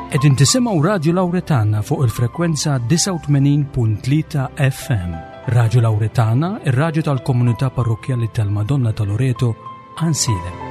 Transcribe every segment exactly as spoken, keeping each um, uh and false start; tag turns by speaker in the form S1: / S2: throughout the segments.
S1: Qegħdin tisimgħu Radio Lauretana fuq il-frekwenza disgħa u tmenin punt tlieta F M. Radio Lauretana, ir-radju tal-komunità parrokkjali tal-Madonna ta' Loreto, Għajnsielem.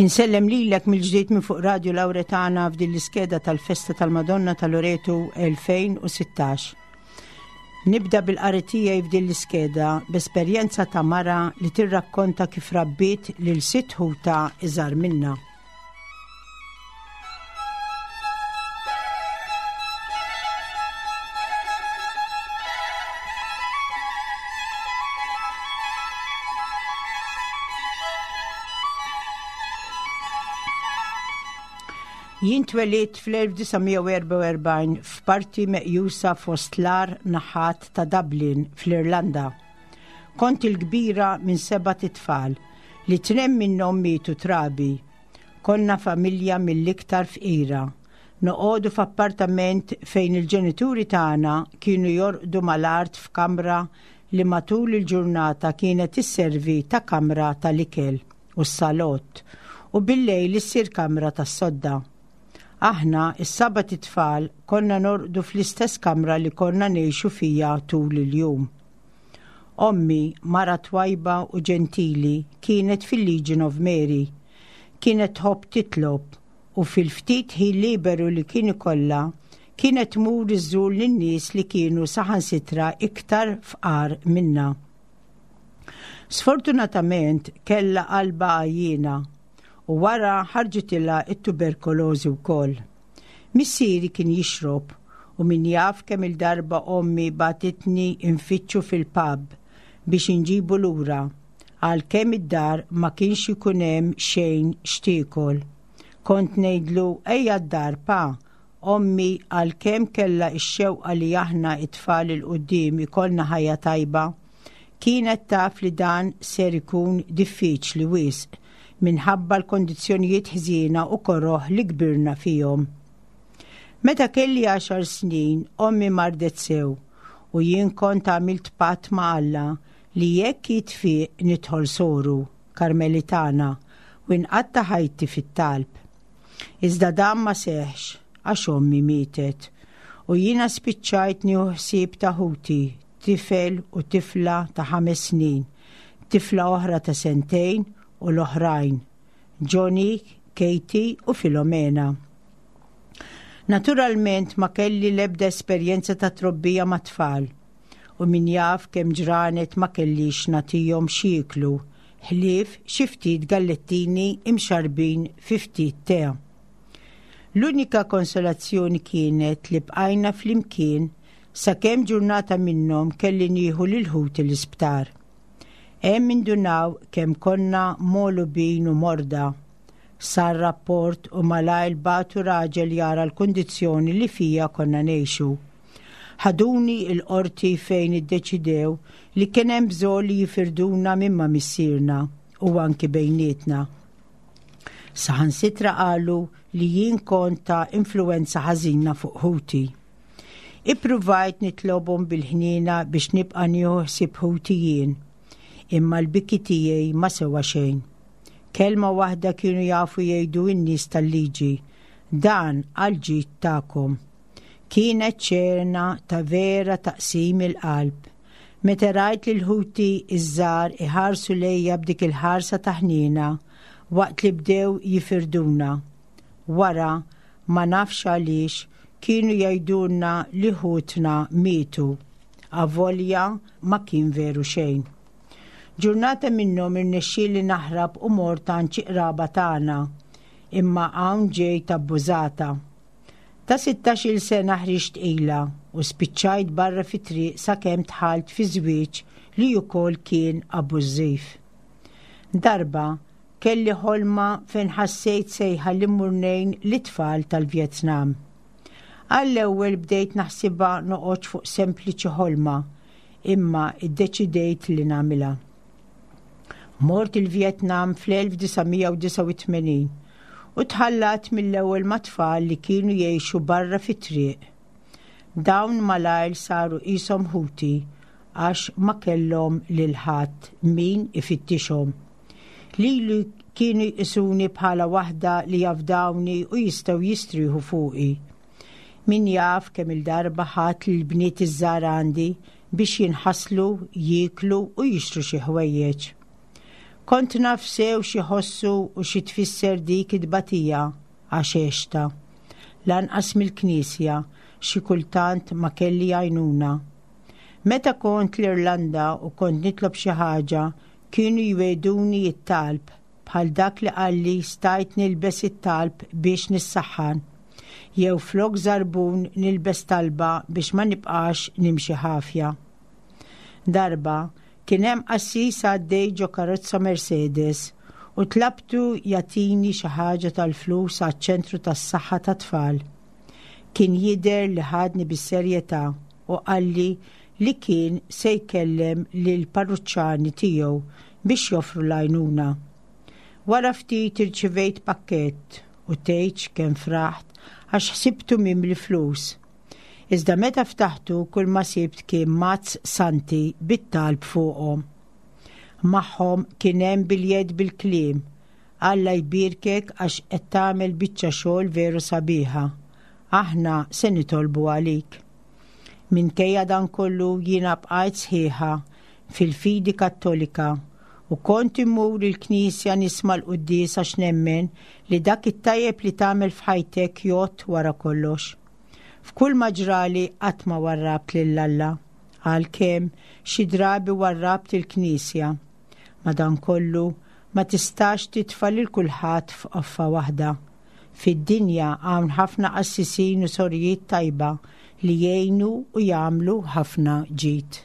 S2: Insellem lilek mill-ġdid minn fuq Radio Lauretana f'din l-iskeda tal-Festa tal-Madonna ta' Loreto elfejn u sittax. Nibda bil-qari tiegħi f'din l-iskeda b'esperjenza ta' mara li tirrakkonta kif rabbiet lil sitt ħuta iżgħar minna. Jien twelidt fl-elf disa' mija u erbgħa u erbgħin f'parti meqjusa fost l-agħar naħat ta' Dublin fl-Irlanda. Kont il-kbira minn sebat itfal li tnejn minnhom mietu trabi. Konna familja mill-iktar fqira. Noqogħdu f'appartament fejn il-ġenituri tagħna kienu jorqdu mal-art f'kamra li matul il-ġurnata kienet isservi ta' kamra tal-ikel u s-salott u bil-lejl issir kamra tas-sodda. Aħna, is-sebat itfal, konna norqdu fl-istess kamra li konna ngħixu fija tul il-jum. Ommi, mara twajba u ġentili, kienet fil-Legion of Mary. Kienet tħobb titlob u fil-ftit ħin liberu li kien ikollha kienet tmur iżżur lin-nies li kienu saħansitra iktar fqar minna. Sfortunatament kella qalba għajjiena u wara ħarġitilha it-tuberkulożi wkoll. Missieri kien jixrob u min jaf kemm il-darba ommi bagħtitni nfittxu fil-pub biex inġibu lura għalkemm id-dar ma kienx ikun hemm xejn x'tiekol. Kont ngħidlu, "Ejja d-dar, pa." Ommi, għalkemm kella x-xewqa li aħna it-tfal 'il quddiem ikollna ħajja tajba, kienet taf li dan ser ikun diffiċli wisq minħabba l-kondizzjonijiet ħżiena u koroħ li kbirna fihom. Meta kelli għaxar snin, ommi mardet sew u jien kont għamilt patt ma' Alla li jekk jitfiq nidħol soru, Karmelitana, u nqatta' ħajti fit-talb. Iżda dan ma seħx għax ommi mietet u jiena spiċċajt nieħu ħsieb ta' ħuti, tifel u tifla ta' ħames snin, tifla oħra ta' sentejn u l-oħrajn, Johnny, Katie u Filomena. Naturalment ma kelli lebda esperjenza ta' trobbija ma' tfal u min jaf kemm ġranet ma kellix nagħtihom x'jieklu ħlief xi ftit gallettini imxarbin fi ftit te. L-unika konsolazzjoni kienet li bqajna flimkien sakemm ġurnata minnhom kelli nieħu lil ħuti l-isptar. Hemm indunaw kemm konna mogħlubin u morda. Sar rapport u malajr bagħtu raġel jara l-kundizzjoni li fija konna ngħixu. Ħaduni il-qorti fejn iddeċidew li kien hemm bżonn li jifirduna minn ma' missierna u anki bejnietna. Saħansitra qalu li jien kont ta' influenza ħażina fuq ħuti. Ippruvajt nitlobhom bil-ħniena biex nibqa' nieħu ħsieb ħuti jien, imma l-biki tiegħi ma sewa xejn. Kelma waħda kienu jafu jgħidu n-nies tal-liġi, "Dan għal-ġid tagħkom." Kienet xena ta' vera taqsim il-qalb. Meta rajt lil ħuti iż-żgħar iħarsu lejja b'dik il-ħarsa ta' ħniena waqt li bdew jifirduna. Wara, ma nafx għaliex, kienu jgħidulna li ħutna mietu. Avolja ma kien veru xejn. Ġurnata minnhom irnexxieli naħrab u mort għand xi qraba tagħna, imma hawn ġejt abbużata. Ta' sittax-il sena ħriġt tqila u spiċċajt barra fi triq sakemm dħalt fi żwieġ li wkoll kien abbużiv. Darba Kelli ħolma fejn ħassejt sejħa li mmur ngħin lit-tfal tal-Vjetnam. Għall-ewwel bdejt naħsibha noqgħodx fuq sempliċi ħolma, imma iddeċidejt li nagħmilha. Mort il-Vjetnam fl-elf disa' mija u disgħa u tmenin u tħallat mill-ewwel ma' tfal li kienu jgħixu barra fit-triq. Dawn malajr saru qishom ħuti għax ma kellhom lil ħadd min ifittixhom. Lili kienu jqisuni bħala waħda li jafdawni u jistgħu jistrieħu fuqi. Min jaf kemm il-darba ħadd lil bniet iż-żgħar għandi biex jinħaslu, jieklu u jixtru xi ħwejjeġ. Kont naf sew xi ħossu u xi tfisser dik it-tbatija għax għexta. Lanqas mill-knisja xi kultant ma kelli għajnuna. Meta kont l-Irlanda u kont nitlob xi ħaġa, kienu jweduni it-talb bħal dak li qalli stajt nilbes it-talb biex nissaħħan, jew flok żarbun nilbes talba biex ma nibqax nimxi ħafja. Darba kien hemm qassis għaddej ġo karozza Mercedes u tlabtu jagħtini xi ħaġa tal-flus għaċ-ċentru tas-saħħa tat-tfal. Kien jidher li ħadni bis-serjetà u qalli li kien se jkellem lil parruċċani tiegħu biex joffru l-għajnuna. Wara ftit irċivejt pakkett u tgħidx kemm fraħt għax ħsibtu mimli flus. Iżda meta ftaħtu kull ma sibt kien mazz santi bit-talb fuqhom. Magħhom kien hemm biljett bil-kliem: Alla jbierkek għax qed tagħmel biċċa xogħol veru sabiħa. Aħna se nitolbu għalik. Minkejja dan kollu jiena bqajt sħiħa fil-fidi Kattolika u kont immur il-knisja nisma' l-quddies għax nemmen li dak it-tajjeb li tagħmel f'ħajtek jgħodd wara kollox. F'kull ma ġrali qatt ma warrabt lil Alla, għalkemm xi drabi warrabt il-knisja. Madankollu ma tistax titfa' lil kulħadd f'qoffa waħda. Fid-dinja hawn ħafna qassisin u sorijiet tajba li jgħinu u jagħmlu ħafna ġid.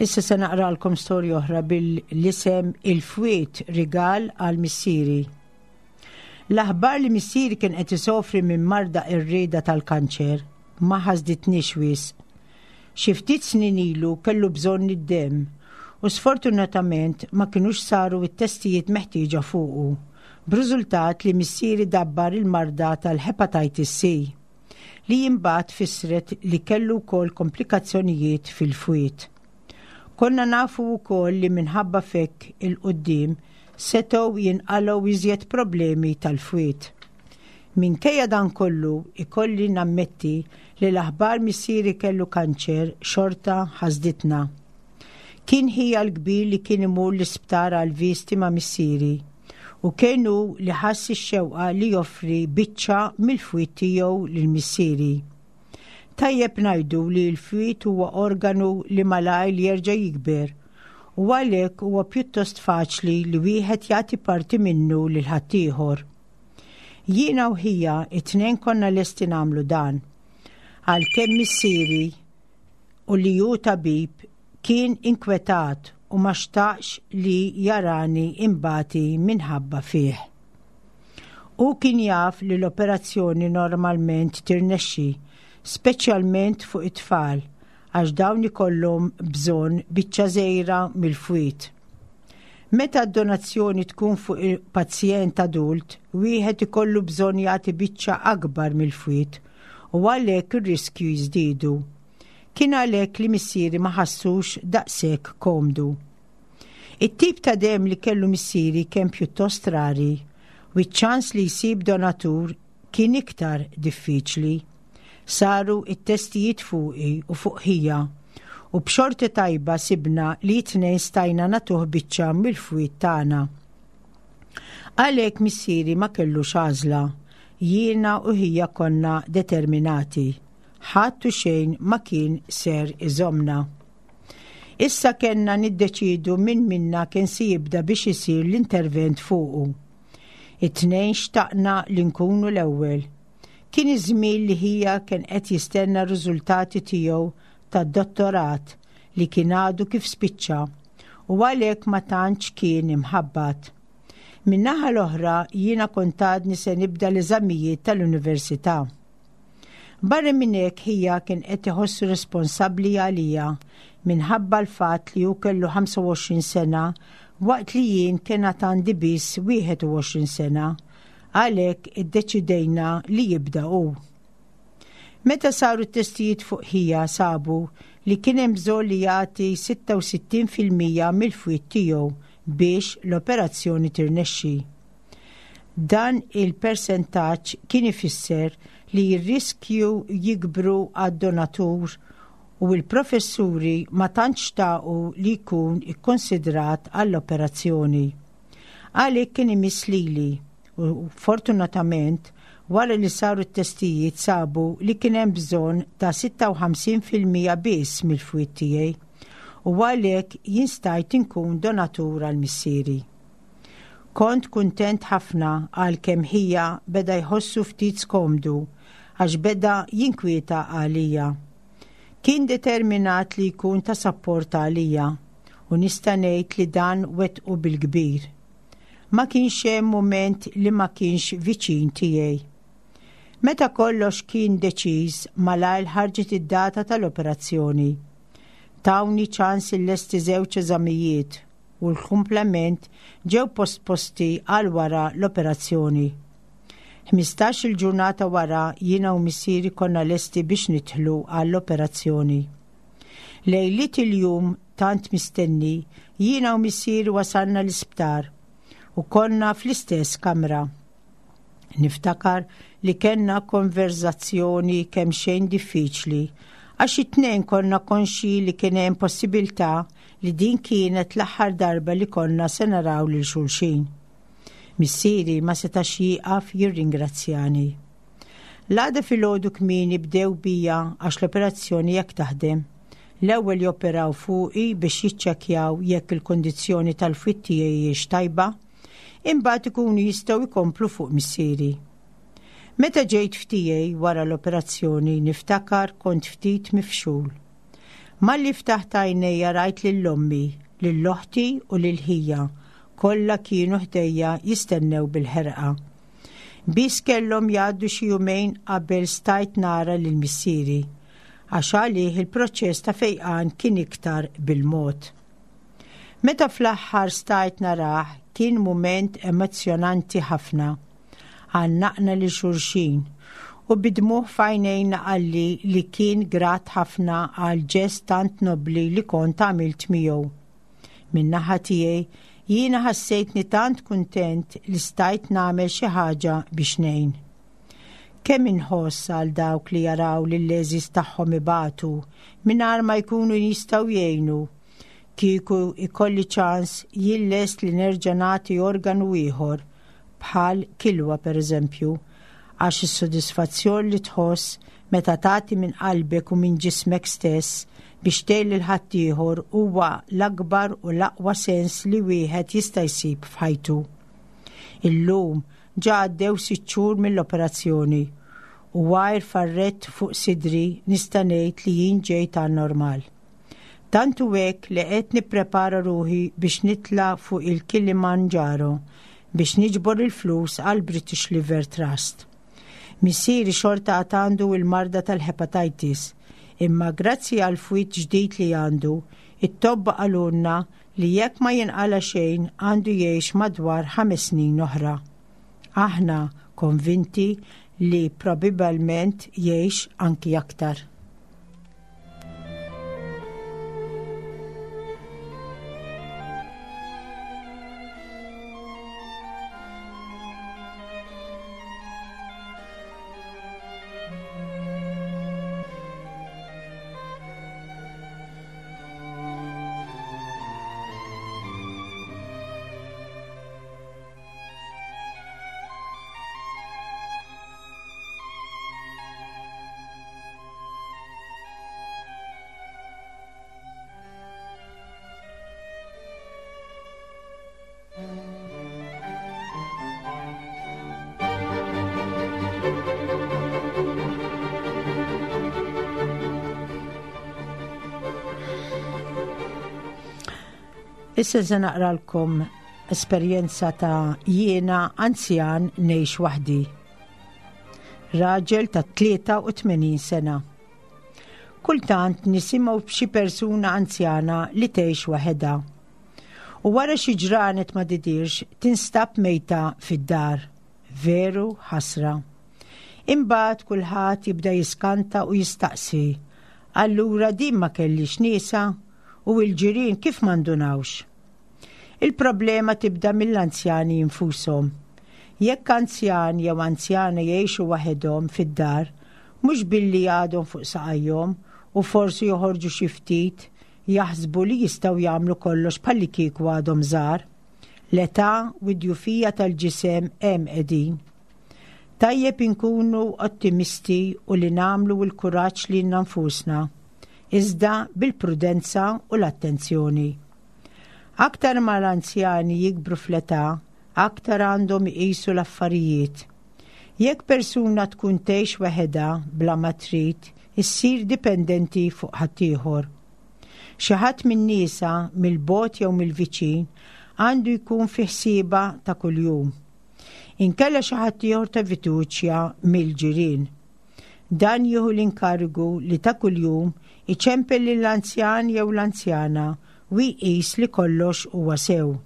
S2: Issa se naqralkom storja oħra bil-isem Il-Fwied Rigal għal Missieri. L-aħbar li missieri kien qed isofri minn marda qerrieda tal-kanċer ma ħasditniex wisq. Xi ftit snin ilu kellu bżonn id-demm u sfortunatament ma kinux saru t-testijiet meħtieġa fuqu, b'riżultat li missieri dabbar il-marda tal-hepatitis C, li imbagħad fissret li kellu wkoll komplikazzjonijiet fil-fwied. Konna nafu wkoll li minħabba fekk il-qudiem setgħu jinqalgħu iżjed problemi tal-fwied. Minkejja dan kollu ikolli nammetti li l-aħbar missieri kellu kanċer xorta ħasditna. Kien ħija l-kbir li kien imur l-isptar għal visti ma' missieri u kienu li ħass ix-xewqa li joffri biċċa mill-fwied tiegħu lil missieri. Tajjeb ngħidu li l-fwied huwa organu li malajr jerġa' jikber u għalhekk huwa pjuttost faċli li wieħed jagħti parti minnu lil ħaddieħor. Jiena u ħija it-tnejn konna lesti nagħmlu dan. Għalkemm missieri u li hu tabib kien inkwetat u ma xtaqx li jarani imbati minħabba fih. U kien jaf li l-operazzjoni normalment tirnexxi, speċjalment fuq it-tfal, għax dawn ikollhom bżonn biċċa żgħira mill-fwied. Meta d-donazzjoni tkun fuq il-pazjent adult, wieħed ikollu bżonn jagħti biċċa akbar mill-fwied u għalhekk ir-riskju jiżdiedu. Kien għalhekk li missieri ma ħassux daqshekk komdu. It-tip ta' demm li kellu missieri kien pjuttost rari U ċ-ċans li jsib donatur kien iktar diffiċli. Saru it-testijiet fuqi u fuq ħija u b'xorti tajba sibna li t-tnejn stajna nagħtuh biċċa mill-fwied tagħna. Għalhekk missieri ma kellux għażla, jiena u ħija konna determinati. Ħadd u xejn ma kien ser iżomna. Issa kellna niddeċidu min minna kien se jibda biex isir l-intervent fuqu. It-tnejn xtaqna li nkunu l-ewwel. Kien iż-żmien li ħija kien qed jistenna r-riżultati tiegħu tad-dottorat li kien għadu kif spiċċa u għalhekk ma tantx kien imħabbat. Min-naħa l-oħra jiena kont għadni se nibda l-eżamijiet tal-università. Barra minn hekk ħija kien qed iħossu responsabbli għalija minħabba l-fatt li hu kellu ħamsa u għoxrin sena waqt li jien kien għad għandi biss wieħed u għoxrin sena, għalhekk iddeċidejna li jibda hu. Meta saru t-testijiet fuq ħija sabu li kien hemm bżonn li jagħti sitta u sittin fil-mija mill-fwied tiegħu biex l-operazzjoni tirnexxi. Dan il-persentaġġ kien ifisser li r-riskju jikbru għad-donatur u l-professuri ma tantx xtaqu li jkun ikkonsidrat għall-operazzjoni. Għalhekk kien imiss lili u fortunatament wara li saru t-testijiet sabu li kien hemm bżonn ta' sitta u ħamsin fil-mija biss mill-fwied tiegħi u għalhekk jien stajt inkun donatur għal missieri. Kont kuntent ħafna, għalkemm ħija beda jħossu ftit skomdu għax beda jinkwieta għalija. Kien determinat li jkun ta' sapport għalija u nista' ngħid li dan wettqu bil-kbir. Ma kienx hemm mument li ma kienx viċin tiegħi. Meta kollox kien deċiż, malajr ħarġet id-data tal-operazzjoni. Tawni ċans illesti żewġ eżamijiet u l-kumplament ġew postposti għal wara l-operazzjoni. Ħmistax il-ġurnata wara jiena u missieri konna lesti biex nidħlu għall-operazzjoni. Lejliet il-jum tant mistenni, jiena u missieri wasalna l-isptar u konna fl-istess kamra. Niftakar li kellna konverzazzjoni kemm xejn diffiċli għax it-tnejn konna konxi li kien hemm possibilità li din kienet l-aħħar darba li konna se naraw lil xulxin. Missieri ma setax jieqaf jirringrazzjani. L-għada filgħodu kmieni bdew bija għax l-operazzjoni jekk taħdem. L-ewwel joperaw fuqi biex jiċċekkjaw jekk il-kondizzjoni tal-fwied tiegħi tajba, imbagħad ikunu jistgħu jkomplu fuq missieri. Meta ġejt f'tiegħi wara l-operazzjoni, niftakar kont ftit mifxul. Malli ftaħt għajnejja rajt lil ommi, lil oħti u lil ħija, kollha kienu ħdejja jistennew bil-ħerqa. Biss kellhom jgħaddu xi jumejn qabel stajt nara lil missieri, għax għalih il-proċess ta' fejqan kien iktar bil-mod. Meta fl-aħħar stajt narah, kien mument emozjonanti ħafna. Għannaqna lil xulxin u bid-dmugħ f'għajnejna qalli li kien grat ħafna għal ġest tant nobli li kont għamilt miegħu. Min-naħa tiegħi jiena ħassejtni tant kuntent li stajt nagħmel xi ħaġa biex ngħin. Kemm inħoss għal dawk li jaraw li l-għeżież tagħhom ibatu mingħajr ma jkunu jistgħu jgħinu. Kieku ikolli ċans, jien lest li nerġa' nagħti organu ieħor, bħal kilwa per eżempju, għax is-sodisfazzjon li tħoss meta tagħti minn qalbek u minn ġismek stess biex tgħin lil ħaddieħor huwa l-akbar u l-aqwa sens li wieħed jista' jsib f'ħajtu. Illum ġa għaddew sitt xhur mill-operazzjoni u għajr farrett fuq sidri nista' ngħid li jien ġejt għal normal. Tant hu hekk li qed nipprepara ruħi biex nitla' fuq il-Kilimanjaro biex niġbor il-flus għal British Liver Trust. Missieri xorta għad għandu il-marda tal-hepatitis, imma grazzi għal fwied ġdid li għandu, it-tobba qalulna li jekk ma jinqala xejn għandu jgħix madwar ħames snin oħra. Aħna konvinti li probabilment jgħix anki aktar. Issa se naqralkom esperjenza ta' jiena anzjan ngħix waħdi. Raġel ta' tlieta u tmenin sena. Kultant nisimgħu b'xi persuna anzjana li tgħix waħedha. U wara xi ġranet ma tidirx, tinstab mejta fid-dar. Veru ħasra. Imbagħad kulħadd jibda jiskanta u jistaqsi: "Allura din ma kellhiex niesha u l-ġirien kif ma ndunawx?" Il-problema tibda mill-anzjani infushom. Jekk anzjan jew anzjana jgħixu waħedhom fid-dar, mhux billi għadhom fuq saqajhom u forsi joħorġu xi ftit, jaħsbu li jistgħu jagħmlu kollox bħallikieku għadhom żgħar. L-età u d-djufija tal-ġisem hemm qegħdin. Tajjeb inkunu ottimisti u li nagħmlu l-kuraġġ lilna nfusna, iżda bil-prudenza u l-attenzjoni. Aktar ma l-anzjani jikbru fl-età, aktar għandhom iqisu l-affarijiet. Jekk persuna tkun tgħix waħedha bla ma trid, issir dipendenti fuq ħaddieħor. Xi ħadd minn niesha mill-bogħod jew mill-viċin għandu jkun fi ħsiebha ta' kuljum. Inkella xi ħadd ieħor ta' fiduċja mill-ġirien. Dan jieħu l-inkarigu li ta' kuljum iċempel lill-anzjan jew l-anzjana u jqis li kollox huwa sew.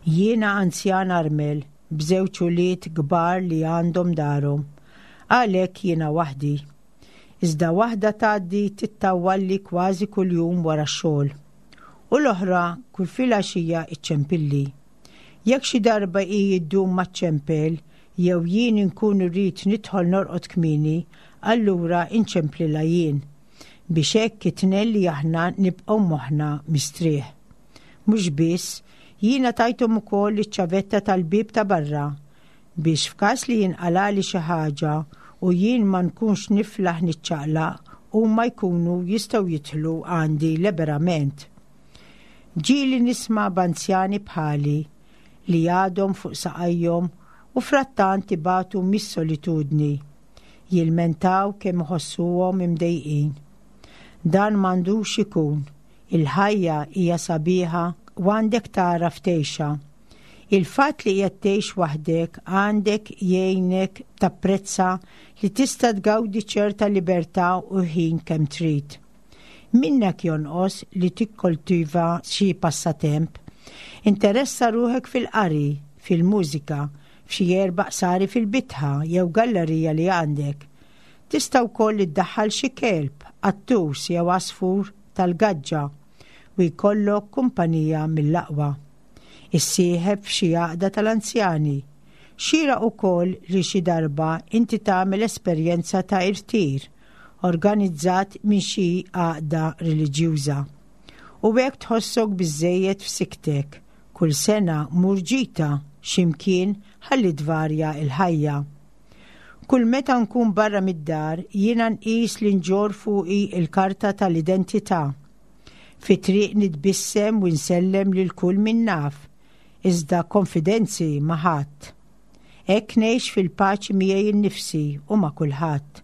S2: Jiena anzjan armel b'żewġ ulied kbar li għandhom darhom. Għalhekk jiena waħdi. Iżda waħda tgħaddi tittawwalli kważi kuljum wara x-xogħol. U l-oħra kull filgħaxija iċċempilli. Jekk xi darba hi ddum ma ċċempel jew jien inkun irrid nidħol norqod kmieni, allura inċemplilha jien biex hekk it-tnejn li aħna nibqgħu moħħna mistrieħ. Mhux biss, jiena tajthom ukoll iċ-ċavetta tal-bib ta' barra biex f'każ li jinqalali xi ħaġa u jien ma nkunx niflaħ niċċaqlaq, huma jkunu jistgħu jidħlu għandi liberament. Ġieli nisma' b'anzjani bħali li għadhom fuq saqajhom u frattant ibatu mis-solitudni. Jilmentaw kemm iħossuhom imdejqin. Dan m'għandux ikun. Il-ħajja hija sabiħa u għandek tagħraf tgħixha. Il-fatt li qed tgħix waħdek għandek jgħinek tapprezza li tista' tgawdi ċerta libertà u ħin kemm trid. Minnek jonqos li tikkoltiva xi passatemp. Interessa ruħek fil-qari, fil-mużika, f'xi erba' qsari fil-bitħa jew gallerija li għandek. Tista' wkoll iddaħħal xi kelb, qattus jew għasfur tal-gaġġa u jkollok kumpanija mill-aqwa. Issieħeb f'xi għaqda tal-anzjani. Xieraq ukoll li xi darba inti tagħmel esperjenza ta' irtir organizzat minn xi għaqda reliġjuża. U hekk tħossok biżejjed f'siktek. Kull sena mur ġita x'imkien ħalli tvarja il-ħajja. Kull meta nkun barra mid-dar, jiena nqis li nġorr fuqi il-karta tal-identità. Fi triq nitbissem u nsellem lil kull min naf, iżda konfidenzi ma' ħadd. Hekk ngħix fil-paċi miegħi nnifsi u ma' kulħadd.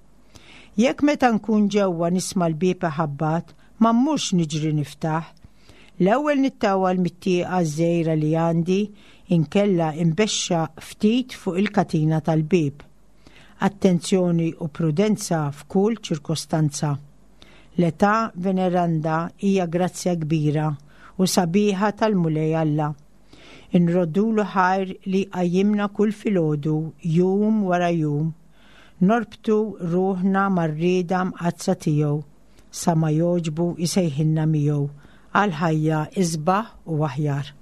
S2: Jekk meta nkun ġewwa nisma' l-bieb iħabbat, ma mmurx niġri niftaħ. L-ewwel nittawal mit-tieqa żgħira li għandi, inkella imbexxa ftit fuq il-katina tal-bieb. Attenzjoni u prudenza f'kull ċirkostanza. L-età veneranda hija grazzja kbira u sabiħa tal-Mulej Alla. Inroddulu ħajr li qajjimna kull filgħodu, jum wara jum. Norbtu ruħna mar-rieda mqaddsa tiegħu sa ma jogħġbu jsejħilna miegħu għal ħajja isbaħ u aħjar.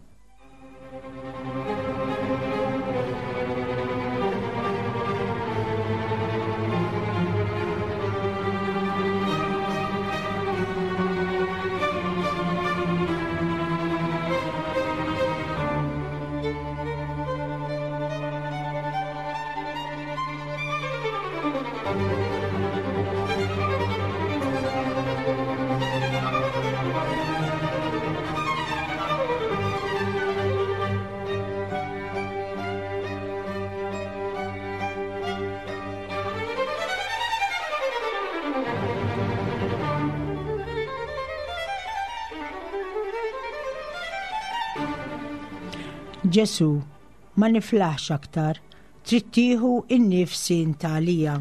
S2: Ġesu, ma niflaħx aktar, trid tieħu n-nifs int għalija.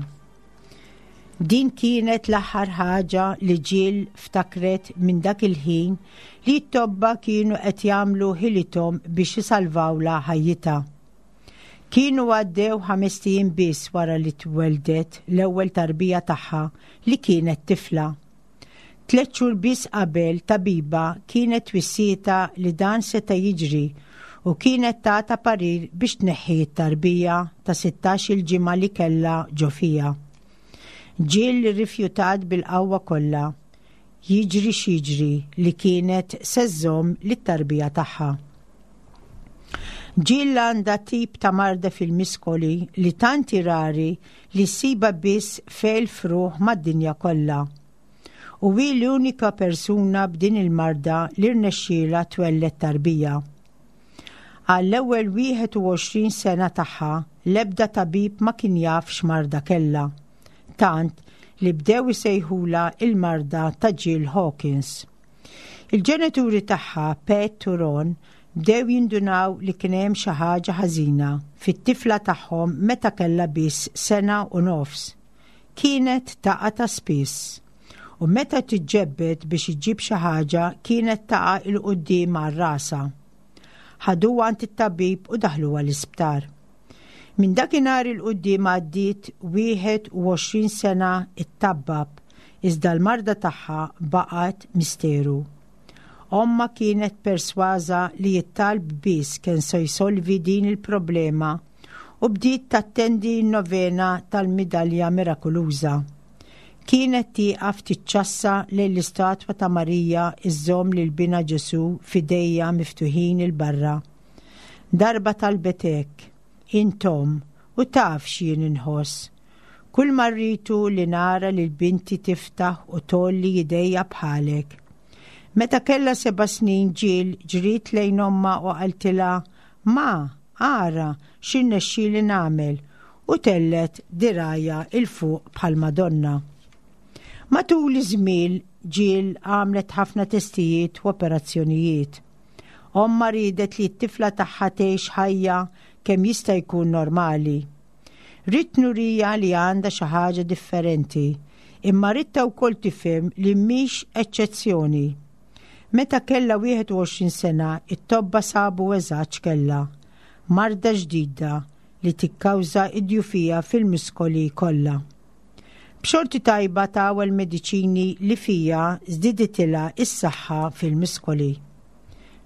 S2: Din kienet l-aħħar ħaġa li Jill ftakret minn dak il-ħin li t-tobba kienu qed jagħmlu ħilithom biex isalvawla ħajjitha. Kienu għaddew ħamest ijiem biss wara li tweldet l-ewwel tarbija tagħha li kienet tifla. Tliet xhur biss qabel tabiba kienet wissietha li dan seta' jiġri u kienet tatha parir biex tneħħi t-tarbija ta' sittax-il ġimgħa li kellha ġo fiha. Jill rifjutat bil-qawwa kollha, jiġri x'jiġri li kienet se żżomm lit-tarbija tagħha. Jill għandha tip ta' marda fil-miskoli li tant hi rari li ssibha biss f'elf ruħ mad-dinja kollha. U hi l-unika persuna b'din il-marda li rnexxiela twelled tarbija. Għall-ewwel wieħed u għoxrin sena tagħha l-ebda tabib ma kien jaf x'marda kellha. Tant li bdew isejħula il-marda ta' Jill Hawkins. Il-ġenituri tagħha, Pat u Ron, bdew jindunaw li kien hemm xi ħaġa ħażina fit-tifla tagħhom meta kellha biss sena u nofs. Kienet taqa' ta' spiss. U meta tiġġebbed biex iġġib xi ħaġa kienet taqa' 'l quddiem għal rasha. Ħaduha għand it-tabib u daħluha l-isptar. Minn dakinhar 'il quddiem għaddiet wieħed u għoxrin sena it-tabbab, iżda l-marda tagħha baqgħet misteru. Omma kienet persważa li t-talb biss kien se jsolvi din il-problema u bdiet tattendi n-novena tal-Midalja Mirakoluża. Kienet tieqaf tiċċassa lejn l-istatwa ta' Marija iżżomm lil binha Ġesu f'idejha miftuħin 'il barra. Darba talbet hekk: "Int omm u taf x'jien inħoss. Kull ma rrid hu li nara lil binti tiftaħ u tgħolli idejha bħalek." Meta kella seba' snin, Jill ġriet lejn omma u qaltilha: "Ma, ara x'irnexxieli nagħmel", u tellgħet dirgħajha 'l fuq bħal Madonna. Matul iż-żmien Jill għamlet ħafna testijiet u operazzjonijiet. Omma ridet li t-tifla tagħha tgħix ħajja kemm jista' jkun normali. "Ridt nuriha li għandha xi ħaġa differenti, imma ridtha wkoll tifhem li mhix eċċezzjoni." Meta kella wieħed u għoxrin sena, it-tobba sabu eżatt kellha. Marda ġdida li tikkawża id-djufija fil-muskoli kollha. B'xorti tajba tawha l-mediċini li fiha żdiditilha is-saħħa fil-muskoli.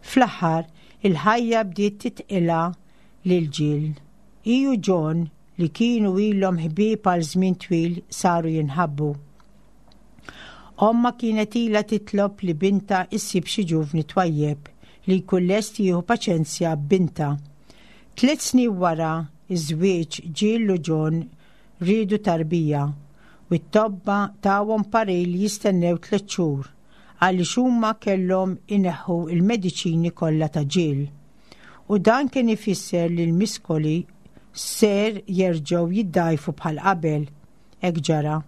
S2: Fl-aħħar, il-ħajja bdiet tidħkilha lil Jill. Hi u John, li kienu ilhom ħbieb għal żmien twil, saru jinħabbu. Omma kienet ilha titlob li bintha issib xi ġuvni twajjeb li jkun lest jieħu paċenzja b'bintha. Tliet snin wara iż-żwieġ, Jill u John riedu tarbija u t-tobba tawhom parir li jistennew tliet xhur għaliex huma kellhom ineħħu il-mediċini kollha ta' Jill. U dan kien ifisser li l-miskoli ser jerġgħu jiddajfu bħal qabel. Hekk ġara.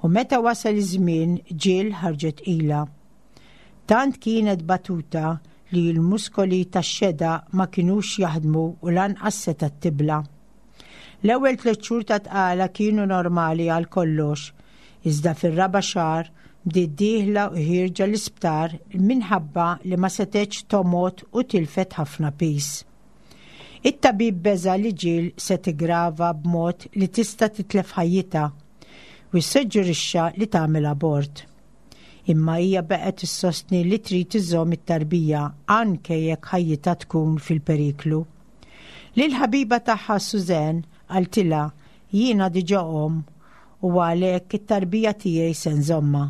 S2: U meta wasal iż-żmien, Jill ħarġet tqila. Tant kienet batuta li l-muskoli tax-xedaq ma kinux jaħdmu u lanqas setgħet tibla'. L-ewwel tliet xhur ta' tqala kienu normali għal kollox, iżda fir-raba' xahar bdiet dieħla u ħierġa l-isptar minħabba li ma setgħetx tomgħod u tilfet ħafna piż. It-tabib beża li Jill se tigrava b'mod li tista' titlef ħajjitha u ssuġġerixxa li tagħmel abort. Imma hija baqgħet issostni li trid iżżomm it-tarbija anke jekk ħajjitha tkun fil-periklu. Lil ħabiba tagħha Suzanne qaltilha: "Jiena diġà omm u għalhekk it-tarbija tiegħi se nżommha."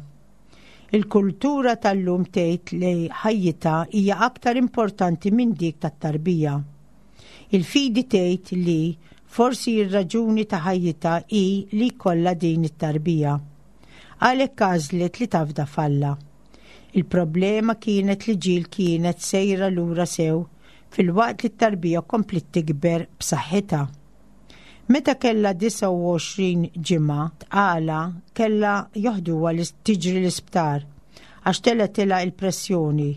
S2: Il-kultura tal-lum tgħid li ħajjitha hija aktar importanti minn dik tat-tarbija. Il-fidi tgħid li forsi ir-raġuni ta' ħajjitha hi li jkollha din it-tarbija. Għalhekk għażlet li tafda f'Alla. Il-problema kienet li Jill kienet sejra lura sew filwaqt li t-tarbija kompliet tikber b'saħħitha. Meta kella disgħa u għoxrin ġimgħa tqala kellha joħduha li tiġri l-isptar għax telgħetilha il-pressjoni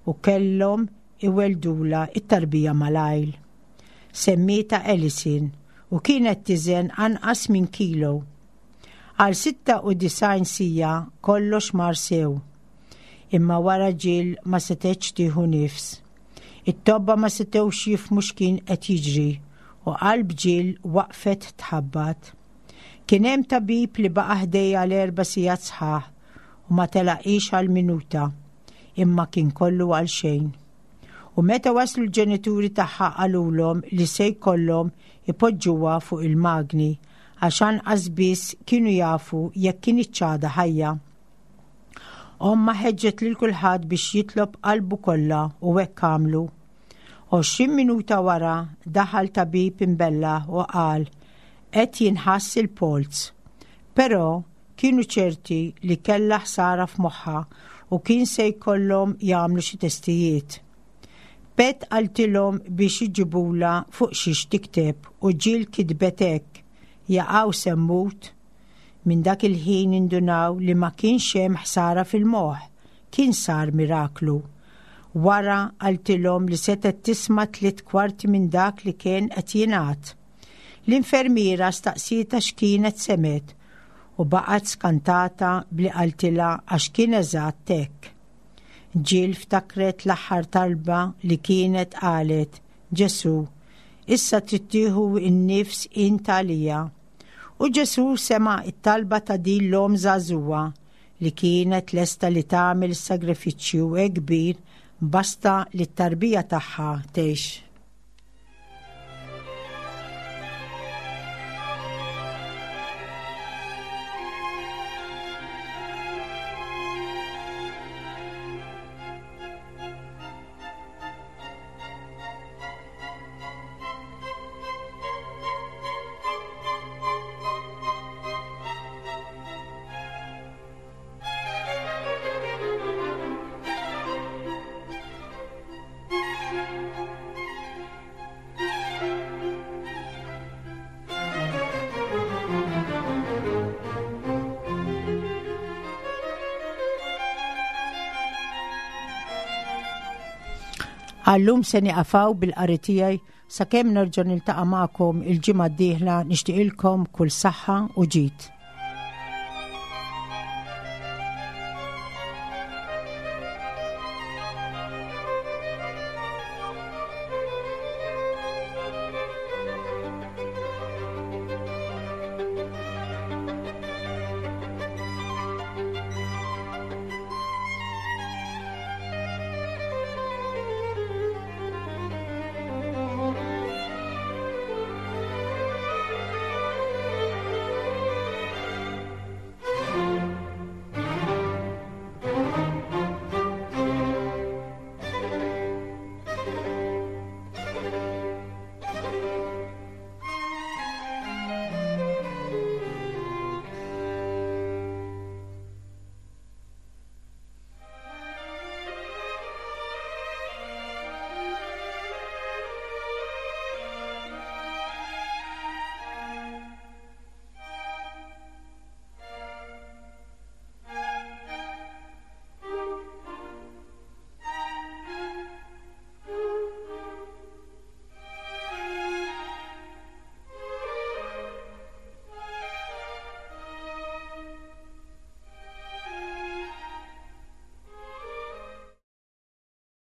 S2: u kellhom iweldula it-tarbija malajr. Semmietha Ellison u kienet tiżen anqas minn kilo. Għal sitta u disgħin siegħa kollox mar sew. Imma wara Jill ma setgħetx tieħu nifs. It-tobba ma setgħux jifhmu x'kien qed jiġri u qalb Jill waqfet tħabbat. Kien hemm tabib li baqa' ħdejha l-erba' sigħat sħaħ u ma telaqix għal minuta, imma kien kollu għal xejn. U meta waslu l-ġenituri tagħha qalulhom li se jkollhom ipoġġuha fuq il-magni għax anqas biss kienu jafu jekk kinitx għadha ħajja. Omma ħeġġet lil kulħadd biex jitlob qalbu kollha u hekk għamlu. Għoxrin minuta wara daħal tabib imbella u qal qed jinħass il-polz. Però kienu ċerti li kellha ħsara f'moħħha u kien se jkollhom jagħmlu xi testijiet. Pat qaltilhom biex iġibula fuq xiex tikteb u Jill kitbet hekk, jaqaw se mmut. Minn dak il-ħin indunaw li ma kienx hemm ħsara fil-moħħ, kien sar miraklu. Wara qaltilhom li setgħet tisma' tliet kwarti minn dak li kien qed jingħad. L-infermiera staqsietha x'kienet semgħet u baqgħet skantata bli qaltilha għax kien eżatt hekk. Jill ftakret l-aħħar talba li kienet qalet, Ġesu, issa trid tieħu n-nifs int għalija. U Ġesu sema' it-talba ta' din l-omm żagħżugħa li kienet lesta li tagħmel sagrifiċċju hekk kbir basta li t-tarbija tagħha tgħix. Għallum se nieqaf hawn bil-qari tiegħi sakemm nerġa' niltaqa' magħkom il-ġimgħa d-dieħla nixtieqilkom kull saħħa u ġid.